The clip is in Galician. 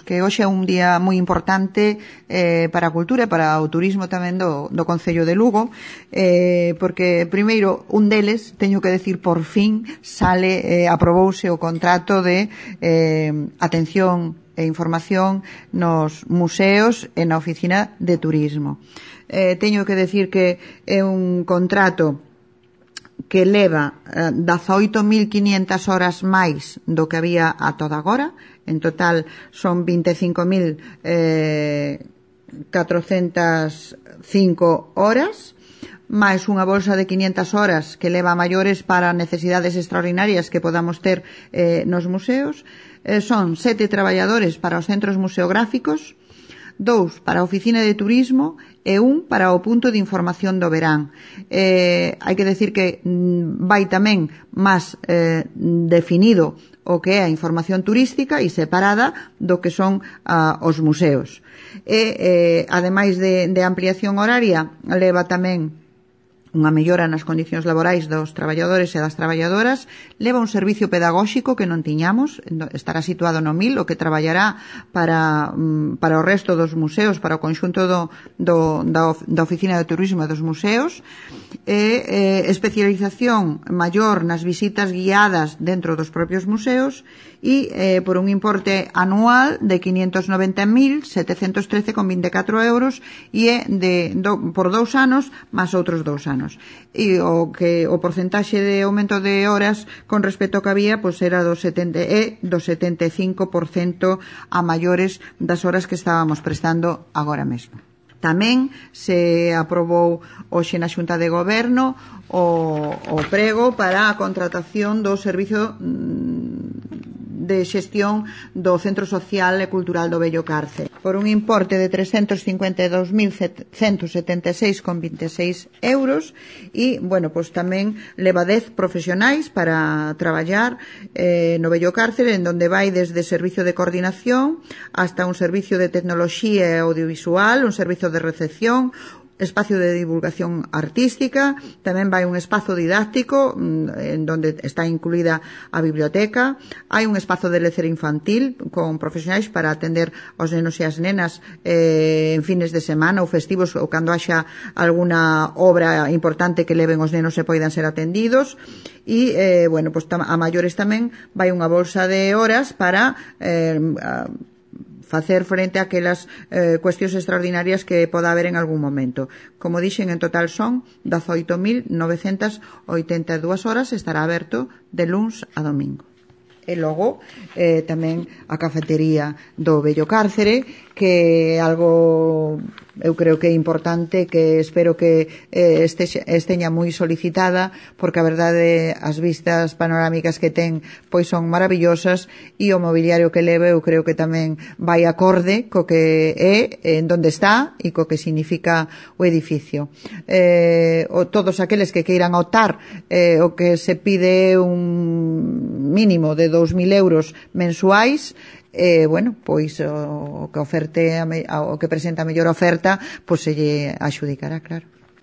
Que hoxe é un día moi importante para a cultura e para o turismo tamén do Concello de Lugo, porque primeiro un deles, teño que decir por fin, aprobouse o contrato de atención e información nos museos e na oficina de turismo. Teño que decir que é un contrato que leva 18.500 horas máis do que había a toda agora. En total son 25.405 horas, máis unha bolsa de 500 horas que leva a maiores para necesidades extraordinarias que podamos ter nos museos. Son 7 traballadores para os centros museográficos, 2 para a oficina de turismo e 1 para o punto de información do verán. Hai que decir que vai tamén máis definido o que é a información turística e separada do que son os museos. Ademais de ampliación horaria, leva tamén unha mellora nas condicións laborais dos traballadores e das traballadoras, leva un servicio pedagóxico que non tiñamos, estará situado no MIL, o que traballará para o resto dos museos, para o conxunto da oficina de turismo e dos museos, especialización maior nas visitas guiadas dentro dos propios museos e por un importe anual de 590.713,24 euros e por 2 anos máis outros 2 anos. E o porcentaxe de aumento de horas con respecto ao que había era do 75% a maiores das horas que estábamos prestando agora mesmo. Tamén se aprobou hoxe na Xunta de Goberno o prego para a contratación do servizo de xestión do Centro Social e Cultural do Vello Cárcere por un importe de 352.176,26 euros e, tamén leva 10 profesionais para traballar no Vello Cárcere, en donde vai desde servicio de coordinación hasta un servicio de tecnoloxía e audiovisual, un servicio de recepción, espacio de divulgación artística, tamén vai un espazo didáctico en donde está incluída a biblioteca, hai un espazo de lecer infantil con profesionais para atender aos nenos e as nenas en fines de semana ou festivos ou cando haxa alguna obra importante que leven os nenos e poidan ser atendidos e, a maiores tamén vai unha bolsa de horas para facer frente a aquelas cuestións extraordinarias que poda haber en algún momento. Como dixen, en total son 18.982 horas, estará aberto de luns a domingo. E logo tamén a cafetería do Vello Cárcere, que é algo eu creo que é importante, que espero que esteña moi solicitada, porque a verdade as vistas panorámicas que ten son maravillosas e o mobiliario que leve eu creo que tamén vai acorde co que é, en donde está e co que significa o edificio. Todos aqueles que queiran optar, o que se pide un mínimo de 2.000 euros mensuais, o que presenta a mellor oferta, se lle axudicará, claro.